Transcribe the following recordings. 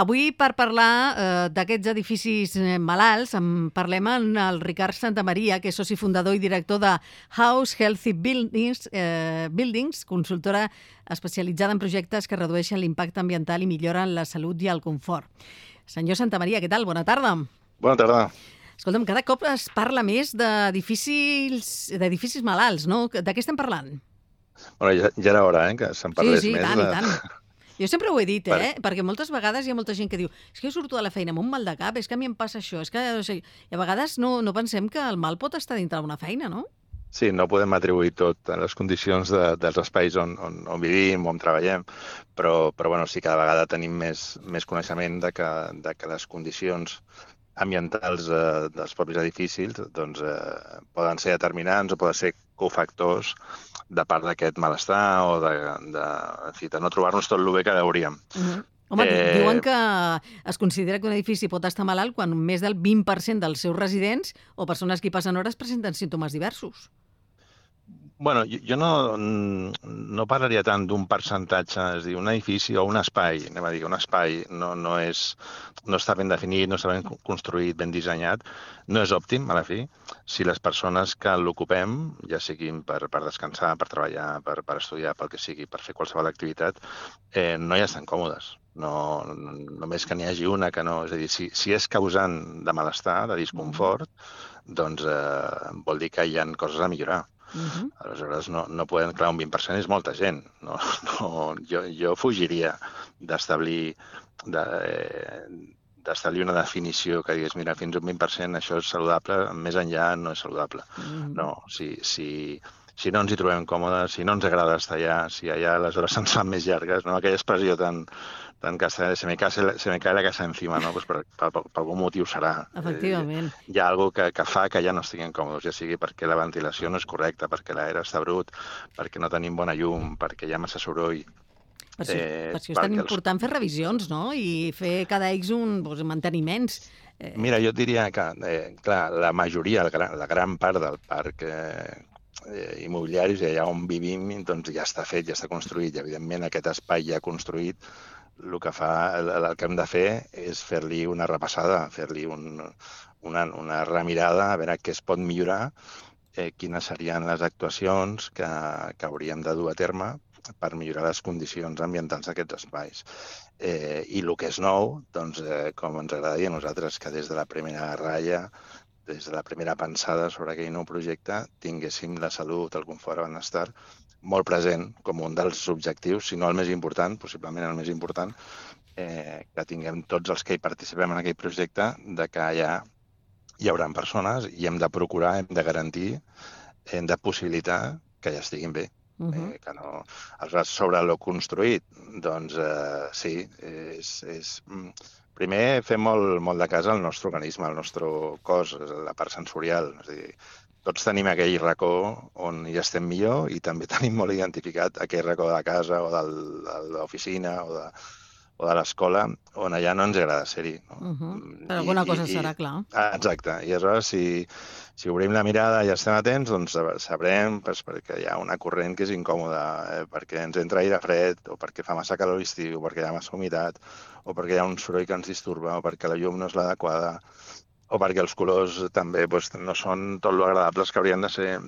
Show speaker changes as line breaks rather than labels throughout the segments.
Avui, per parlar d'aquests edificis malalts, en parlem amb el Ricard Santamaria, que és soci fundador i director de House Healthy Buildings, consultora especialitzada en projectes que redueixen l'impacte ambiental i milloren la salut i el confort. Senyor Santamaria, què tal? Bona tarda.
Bona tarda.
Escolta'm, cada cop es parla més d'edificis malalts, no? De què estem parlant?
Bueno, ja era hora, que se'n parlés més.
Sí, i tant. Jo sempre ho he dit, perquè moltes vegades hi ha molta gent que diu és que jo surto de la feina amb un mal de cap, és que a mi em passa això, és que... I a vegades no pensem que el mal pot estar dintre d'una feina, no?
Sí, no podem atribuir tot a les condicions dels espais on vivim, on treballem, però bueno, sí, cada vegada tenim més coneixement de que les condicions ambientals dels propis edificis doncs, poden ser determinants o poden ser cofactors de part d'aquest malestar o de no trobar-nos tot el bé que hauríem.
Home, diuen que es considera que un edifici pot estar malalt quan més del 20% dels seus residents o persones que hi passen hores presenten símptomes diversos.
Bueno, jo no parlaria tant d'un percentatge, és a dir, un edifici o un espai, anem a dir, un espai no està ben definit, no està ben construït, ben dissenyat, no és òptim, a la fi, si les persones que l'ocupem, ja siguin per descansar, per treballar, per estudiar, pel que sigui, per fer qualsevol activitat, no hi estan còmodes. Només que n'hi hagi una que no... És a dir, si és causant de malestar, de disconfort, doncs vol dir que hi ha coses a millorar. Aleshores, no podem... Clar, un 20% és molta gent. Jo fugiria d'establir una definició que digués, mira, fins a un 20% això és saludable, més enllà no és saludable. No, si no ens hi trobem còmodes, si no ens agrada estar allà, si allà les hores se'ns fan més llargues, no? Aquella expressió tan castellana, se me cae la casa encima, no? Pues per algun motiu serà.
Efectivament.
Hi ha alguna cosa que fa que ja no estiguin còmodes, ja sigui perquè la ventilació no és correcta, perquè l'aire està brut, perquè no tenim bona llum, perquè hi ha massa soroll.
Per això és tan important fer revisions, no? I fer cada X manteniments.
Mira, jo et diria que, clar, la majoria, la gran part del parc immobiliaris, allà on vivim, doncs ja està fet, ja està construït. I, evidentment, aquest espai ja construït, el que hem de fer és fer-li una repassada, fer-li una remirada, a veure què es pot millorar, quines serien les actuacions que hauríem de dur a terme per millorar les condicions ambientals d'aquests espais. I el que és nou, doncs, com ens agradaria a nosaltres, que des de la primera ratlla, des de la primera pensada sobre aquell nou projecte, tinguéssim la salut, el confort, el benestar molt present com un dels objectius, si no el més important, possiblement el més important, que tinguem tots els que hi participem en aquell projecte, de que allà hi haurà persones i hem de procurar, hem de garantir, hem de possibilitar que ja estiguin bé. Que no... Aleshores, sobre lo construït, doncs sí, primer fem molt de cas al nostre organisme, al nostre cos, la part sensorial. És a dir, tots tenim aquell racó on hi estem millor i també tenim molt identificat aquell racó de la casa o de l'oficina o de l'escola on allà no ens agrada ser-hi.
Per alguna cosa serà, clar.
Exacte. I aleshores, si obrim la mirada i estem atents, doncs sabrem perquè hi ha una corrent que és incòmoda, perquè ens entra aire fred, o perquè fa massa calor l'estiu, o perquè hi ha massa humitat, o perquè hi ha un soroll que ens disturba, o perquè la llum no és l'adequada, o perquè els colors també no són tot lo agradables que haurien de ser.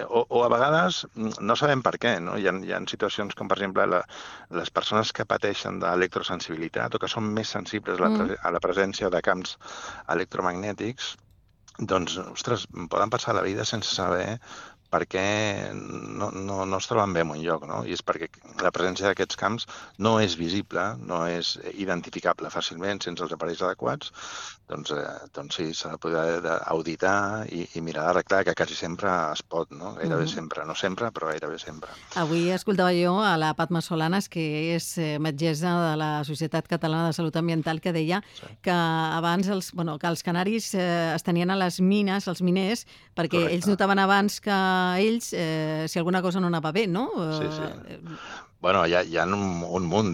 O a vegades no sabem per què, no? Hi ha situacions com, per exemple, les persones que pateixen d'electrosensibilitat o que són més sensibles a la presència de camps electromagnètics, doncs, ostres, poden passar la vida sense saber per què no es troben bé en un lloc, no? I és perquè la presència d'aquests camps no és visible, no és identificable fàcilment sense els aparells adequats, doncs sí, s'ha de poder auditar i mirar d'arreglar, que quasi sempre es pot, no? Gairebé sempre, no sempre, però gairebé sempre.
Avui escoltava jo a la Patma Solanas, que és metgessa de la Societat Catalana de Salut Ambiental, que deia que abans que els canaris es tenien a les mines, els miners, perquè ells notaven abans que ells si alguna cosa no anava bé, no?
Sí. Bueno, hi ha un munt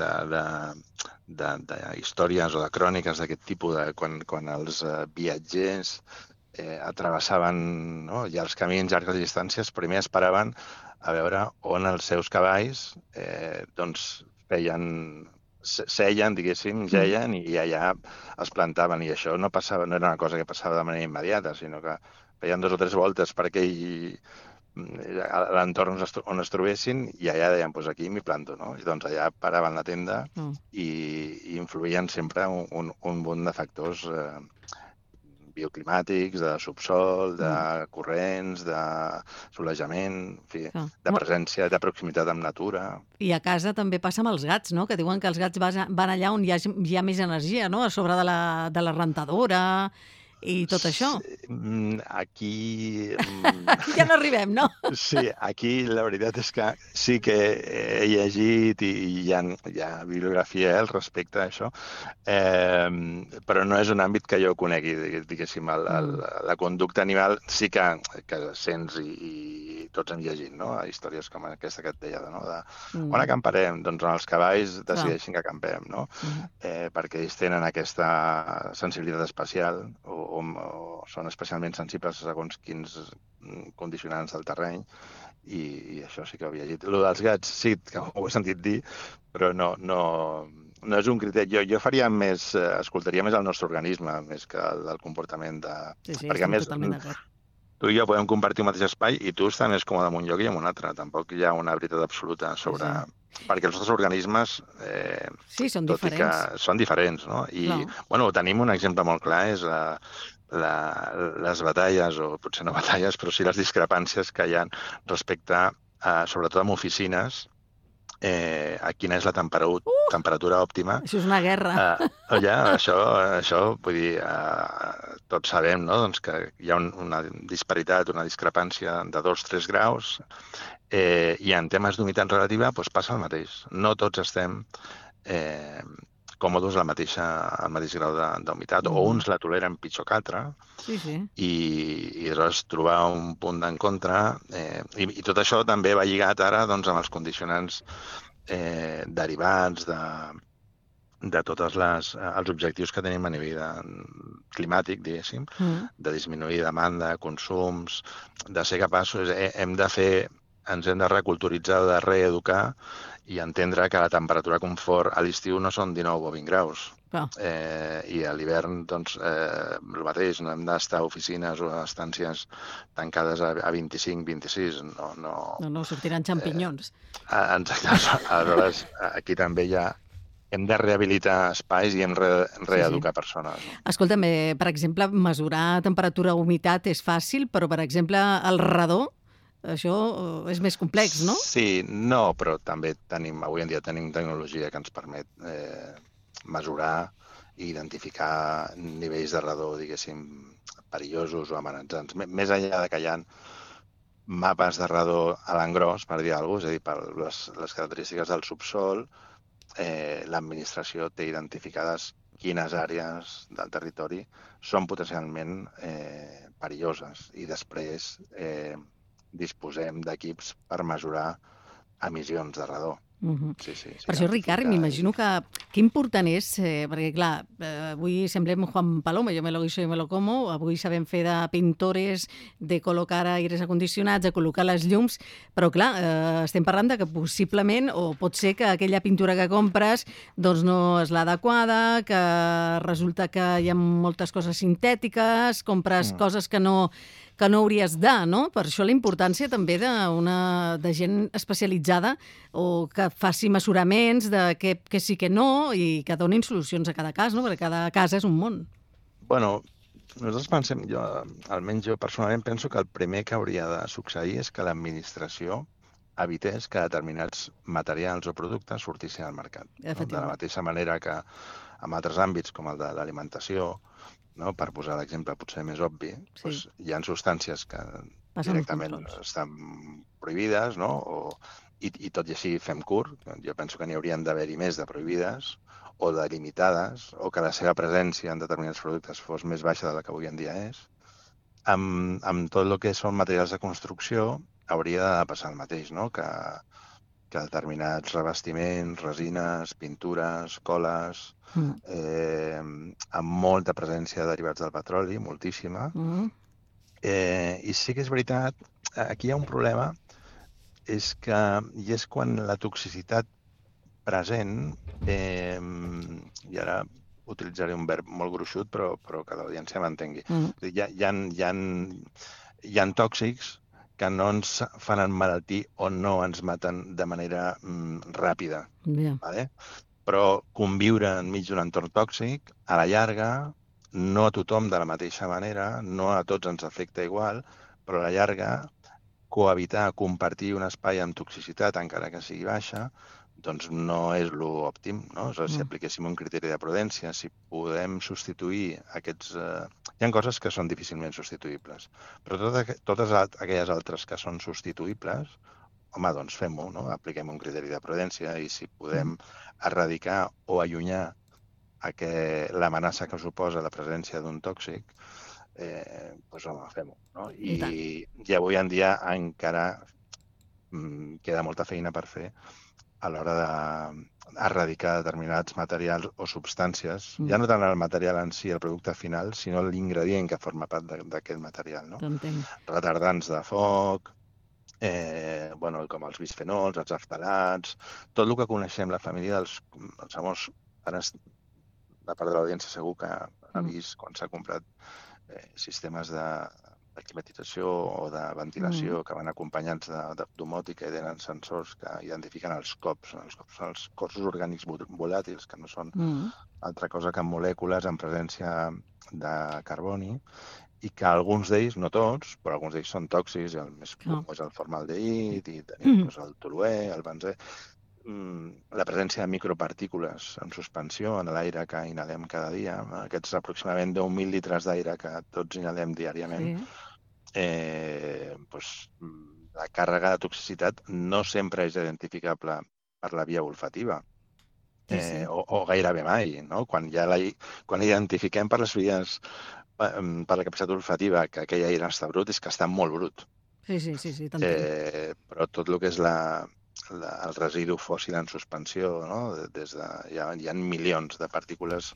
de històries o de cròniques d'aquest tipus, quan els viatgers travessaven llargs camins, llargues distàncies, primer esperaven a veure on els seus cavalls feien seien, diguéssim, geien i allà es plantaven. I això no era una cosa que passava de manera immediata, sinó que feien 2 o 3 voltes per aquell a l'entorn on es trobessin i allà deien, doncs aquí m'hi planto, no? I doncs allà paraven la tenda i influïen sempre un munt de factors bioclimàtics, de subsol, de corrents, de solejament, en fi, de presència, de proximitat amb natura.
I a casa també passa amb els gats, no? Que diuen que els gats van allà on hi ha més energia, no? A sobre de la rentadora i tot això.
Aquí...
Ja no arribem, no?
Sí, aquí la veritat és que sí que he llegit i hi ha bibliografia al respecte a això, però no és un àmbit que jo conegui, diguéssim, la conducta animal sí que sents i tots hem llegit, no? Històries com aquesta que et deia, no? On acamparem? Doncs on els cavalls decideixin que acampem, no? Perquè ells tenen aquesta sensibilitat especial o són especialment sensibles segons quins condicionants del terreny i això sí que ho havia llegit. El dels gats sí que ho he sentit dir, però no és un criteri. Jo faria més, escoltaria més el nostre organisme més que el comportament de...
Sí, perquè a més
tu i jo podem compartir un mateix espai i tu estàs més còmode en un lloc i en un altre. Tampoc hi ha una veritat absoluta sobre... Perquè els nostres organismes...
són diferents.
Són diferents, no? I, bueno, tenim un exemple molt clar, és les batalles, o potser no batalles, però sí les discrepàncies que hi ha respecte, sobretot en oficines, a quina és la temperatura òptima.
Això és una guerra.
Això, vull dir, tots sabem, no? Doncs que hi ha una disparitat, una discrepància de 2-3 graus, i en temes d'humitat relativa doncs passa el mateix. No tots estem còmodes al mateix grau d'humitat, o uns la toleren pitjor que altres, i aleshores trobar un punt d'encontre, i tot això també va lligat ara amb els condicionants derivats de tots els objectius que tenim a nivell climàtic, diguéssim, de disminuir demanda, consums, de ser capaços, ens hem de reculturitzar, de reeducar i entendre que la temperatura confort a l'estiu no són 19 o 20 graus. I a l'hivern, doncs, el mateix, no hem d'estar a oficines o a estàncies tancades a 25-26.
No, sortiran xampinyons.
Exacte. Aleshores, aquí també hem de rehabilitar espais i hem de reeducar persones.
Escolta'm, per exemple, mesurar temperatura o humitat és fàcil, però, per exemple, el radó, això és més complex, no?
Sí, no, però també avui en dia tenim tecnologia que ens permet mesurar i identificar nivells de radó, diguéssim, perillosos o amenaçants. Més enllà que hi ha mapes de radó a l'engròs, per dir alguna cosa, és a dir, per les característiques del subsol, l'administració té identificades quines àrees del territori són potencialment perilloses i després disposem d'equips per mesurar emissions de radó.
Per això, Ricard, m'imagino que important és, perquè clar, avui semblem Juan Palomo, yo me lo guiso y me lo como, avui sabem fer de pintores, de col·locar aires acondicionats, de col·locar les llums, però clar, estem parlant de que possiblement, o pot ser que aquella pintura que compres doncs no és l'adequada, que resulta que hi ha moltes coses sintètiques, compres coses que no hauries de, no? Per això la importància també de gent especialitzada o que faci mesuraments de què sí que no i que donin solucions a cada cas, no? Perquè cada cas és un món.
Bueno, nosaltres pensem, almenys jo personalment penso que el primer que hauria de succeir és que l'administració evités que determinats materials o productes sortissin al mercat. De la mateixa manera que en altres àmbits, com el de l'alimentació, per posar l'exemple potser més obvi, hi ha substàncies que directament estan prohibides, i tot i així fem curt. Jo penso que n'hi haurien d'haver-hi més de prohibides o de limitades, o que la seva presència en determinats productes fos més baixa de la que avui en dia és. Amb tot el que són materials de construcció hauria de passar el mateix, que determinats revestiments, resines, pintures, coles, amb molta presència de derivats del petroli, moltíssima. I sí que és veritat, aquí hi ha un problema, i és quan la toxicitat present, i ara utilitzaré un verb molt gruixut, però que l'audiència m'entengui. Hi ha tòxics que no ens fan emmalaltir o no ens maten de manera ràpida. Vale? Però conviure enmig d'un entorn tòxic, a la llarga, no a tothom de la mateixa manera, no a tots ens afecta igual, però a la llarga, cohabitar, compartir un espai amb toxicitat, encara que sigui baixa, doncs no és l'òptim, no? Si apliquéssim un criteri de prudència, si podem substituir aquests... Hi ha coses que són difícilment substituïbles, però totes aquelles altres que són substituïbles, home, doncs fem-ho, no? Apliquem un criteri de prudència i si podem erradicar o allunyar l'amenaça que suposa la presència d'un tòxic, doncs home, fem-ho, no? I avui en dia encara queda molta feina per fer a l'hora d'erradicar determinats materials o substàncies, ja no tant el material en si, el producte final, sinó l'ingredient que forma part d'aquest material, no? Retardants de foc, com els bisfenols, els aftalats, tot el que coneixem, la família dels famós, ara la part de l'audiència segur que ha vist quan s'ha comprat sistemes de climatització o de ventilació que van acompanyats de domòtica i tenen sensors que identifiquen els cops, els cossos orgànics volàtils, que no són altra cosa que molècules en presència de carboni, i que alguns d'ells, no tots, però alguns d'ells són tòxics, i el més comú és el formaldehid, i tenim el toluè, el benzè, la presència de micropartícules en suspensió en l'aire que inhalem cada dia, aquests aproximadament 10.000 litres d'aire que tots inhalem diàriament, la càrrega de toxicitat no sempre és identificable per la via olfativa, o gairebé mai, no? Quan identifiquem per les vies, per la capacitat olfativa, que aquell aire està brut, és que està molt brut.
Sí, t'entenc.
Però tot el que és el residu fòssil en suspensió, no? Hi ha milions de partícules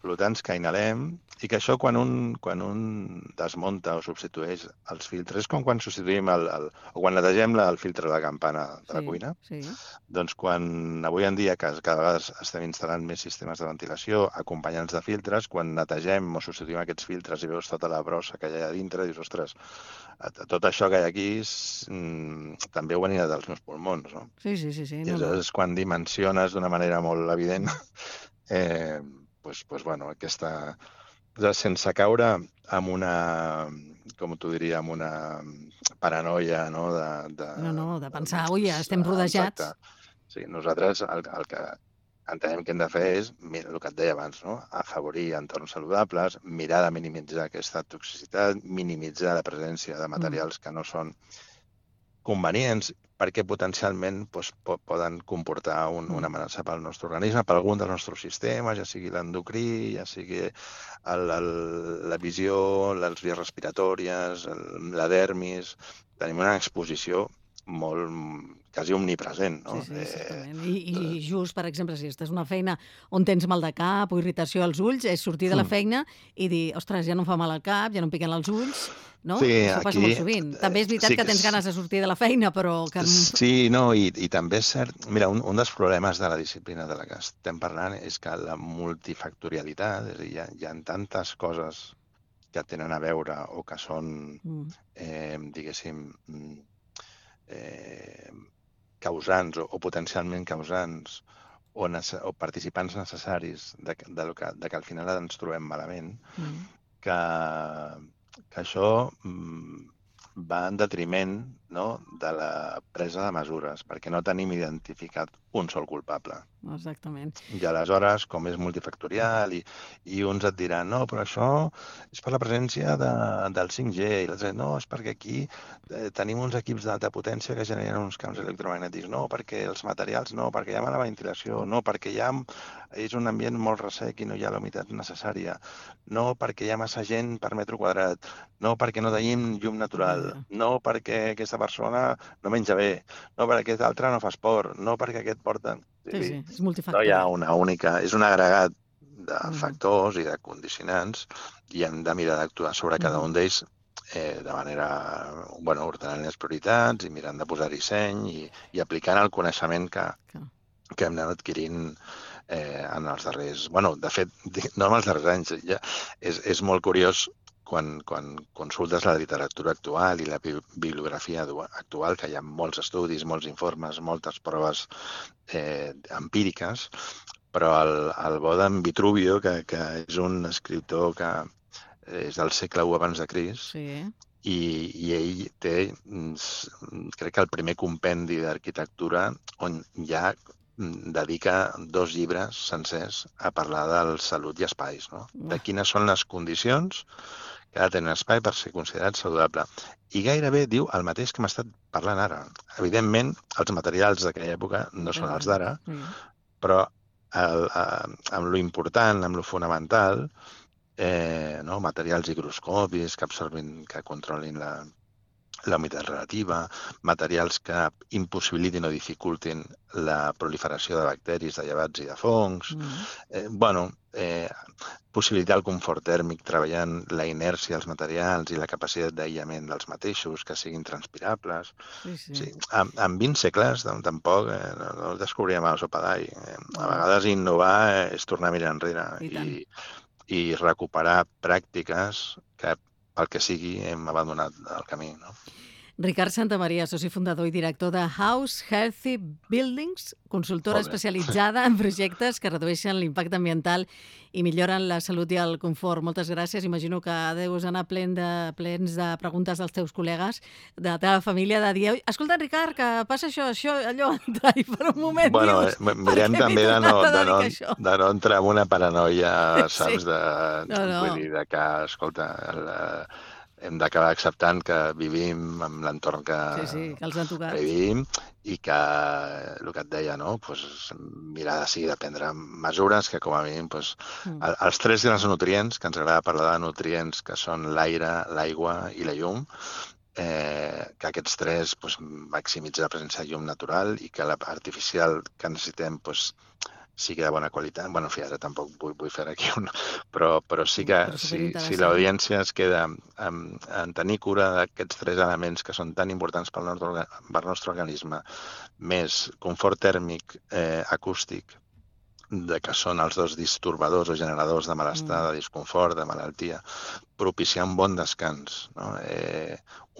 flotants que inhalem i que això quan un desmunta o substitueix els filtres, és com quan substituïm o quan netegem el filtre de la campana de la cuina, doncs quan avui en dia cada vegada estem instal·lant més sistemes de ventilació acompanyats de filtres, quan netegem o substituïm aquests filtres i veus tota la brossa que hi ha a dintre, dius, ostres, tot això que hi ha aquí també ho anirà dels meus pulmons, no?
Sí.
I és quan dimensiones d'una manera molt evident aquesta... sense caure en una, com t'ho diria, en una paranoia, no?
De pensar, ui, estem rodejats.
Exacte. Sí, nosaltres el que entenem que hem de fer és, el que et deia abans, no? Afavorir entorns saludables, mirar de minimitzar aquesta toxicitat, minimitzar la presència de materials que no són convenients, perquè potencialment poden comportar una amenaça pel nostre organisme, per algun dels nostres sistemes, ja sigui l'endocrí, ja sigui la visió, les vies respiratòries, la dermis. Tenim una exposició quasi omnipresent, no?
Sí, exactament. I just, per exemple, si estàs en una feina on tens mal de cap o irritació als ulls, és sortir de la feina i dir, ostres, ja no em fa mal al cap, ja no em piquen els ulls, no?
Sí,
això passa molt sovint. També és veritat que tens ganes de sortir de la feina, però...
Sí, no, i també és cert... Mira, un dels problemes de la disciplina de la que estem parlant és que la multifactorialitat, és a dir, hi ha tantes coses que tenen a veure o que són, diguéssim, causants o potencialment causants o participants necessaris de que al final ens trobem malament, que això va en detriment, no?, de la presa de mesures, perquè no tenim identificat un sol culpable.
Exactament.
I aleshores, com és multifactorial, i uns et diran, no, però això és per la presència del 5G, i l'altre, no, és perquè aquí tenim uns equips d'alta potència que generen uns camps electromagnètics, no, perquè els materials no, perquè hi ha mala ventilació, no, perquè és un ambient molt ressec i no hi ha la humitat necessària, no, perquè hi ha massa gent per metre quadrat, no, perquè no tenim llum natural, no, perquè aquesta persona no menja bé, no, perquè aquest altre no fa esport, no, perquè aquest porta...
Sí, és multifactorial.
No hi ha una única... És un agregat de factors i de condicionants i hem de mirar d'actuar sobre cada un d'ells de manera, ordenant les prioritats i mirant de posar-hi seny i aplicant el coneixement que que hem anat adquirint en els darrers... Bueno, de fet, no en els darrers anys. Ja és molt curiós quan consultes la literatura actual i la bibliografia actual, que hi ha molts estudis, molts informes, moltes proves empíriques, però el bo d'en Vitruvio, que és un escriptor que és del segle I abans de Crist, i ell té, crec que el primer compendi d'arquitectura on ja dedica 2 llibres sencers a parlar del salut i espais, no? De quines són les condicions que ha de tenir un espai per ser considerat saludable. I gairebé diu el mateix que hem estat parlant ara. Evidentment, els materials d'aquella època no són els d'ara, però amb lo important, amb lo fonamental, materials higroscòpics que absorbin, que controlin la humitat relativa, materials que impossibilitin o dificultin la proliferació de bacteris, de llevats i de fongs, possibilitar el confort tèrmic treballant la inèrcia dels materials i la capacitat d'aïllament dels mateixos, que siguin transpirables. Sí. En 20 segles tampoc no descobríem el sopadall. A vegades innovar és tornar a mirar enrere i recuperar pràctiques que pel que sigui hem abandonat el camí, no?
Ricard Santamaria, soci fundador i director de House Healthy Buildings, consultora especialitzada en projectes que redueixen l'impacte ambiental i milloren la salut i el confort. Moltes gràcies. Imagino que deus anar plens de preguntes dels teus col·legues, de la teva família, de dir, escolta, Ricard, que passa això, allò, i per un moment dius...
Mirem també de no entrar en una paranoia, saps? Vull dir, que, escolta, hem d'acabar acceptant que vivim en l'entorn que vivim i que, el que et deia, mirar de prendre mesures que, com a mínim, els 3 grans nutrients, que ens agrada parlar de nutrients, que són l'aire, l'aigua i la llum, que aquests 3 maximitzen la presència de llum natural i que l'artificial que necessitem sigui de bona qualitat. Bueno, en fi, ara tampoc vull fer aquí però sí que si l'audiència es queda en tenir cura d'aquests 3 elements que són tan importants pel nostre organisme, més confort tèrmic, acústic, que són els 2 disturbadors o generadors de malestar, de disconfort, de malaltia, propiciar un bon descans.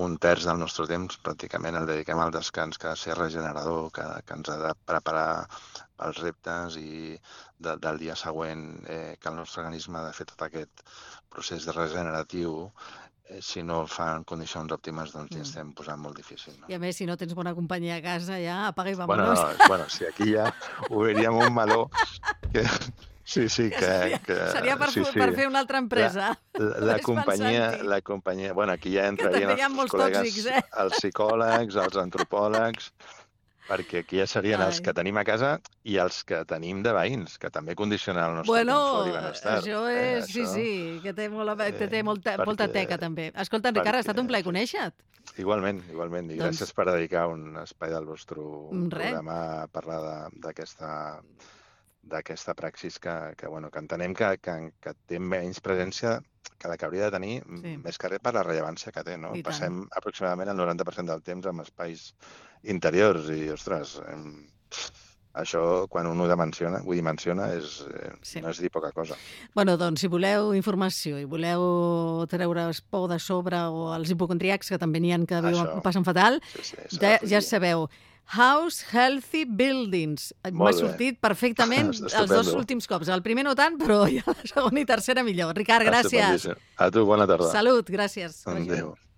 1/3 del nostre temps pràcticament el dediquem al descans, que ha de ser regenerador, que ens ha de preparar els reptes i del dia següent, que el nostre organisme ha de fer tot aquest procés regeneratiu. Si no fa en condicions òptimes, doncs ja estem posant molt difícil.
I a més, si no tens bona companyia a casa, ja apaga i vámonos.
Bueno, si aquí ja obriríem un meló que... Sí, que...
Seria per fer una altra empresa.
La companyia... Bueno, aquí ja entrarien els col·legues, els psicòlegs, els antropòlegs, perquè aquí ja serien els que tenim a casa i els que tenim de veïns, que també condicionen el nostre confort i benestar.
Això és, sí, que té molta teca també. Escolta, Ricard, ha estat un plaer conèixer-te.
Igualment, i gràcies per dedicar un espai del vostre programa a parlar d'aquesta praxis que entenem que té menys presència que la que hauria de tenir, més que res per la rellevància que té. Passem aproximadament el 90% del temps en espais interiors i, ostres, això quan un ho dimensiona no és dir poca cosa.
Bueno, doncs, si voleu informació i voleu treure's por de sobre o els hipocondríacs, que també n'hi ha que ho passen fatal, ja sabeu, House Healthy Buildings. M'ha sortit perfectament els 2 últims cops. El primer no tant, però ja la segona i tercera millor. Ricard, gràcies.
A tu, bona tarda.
Salut, gràcies.
Adéu.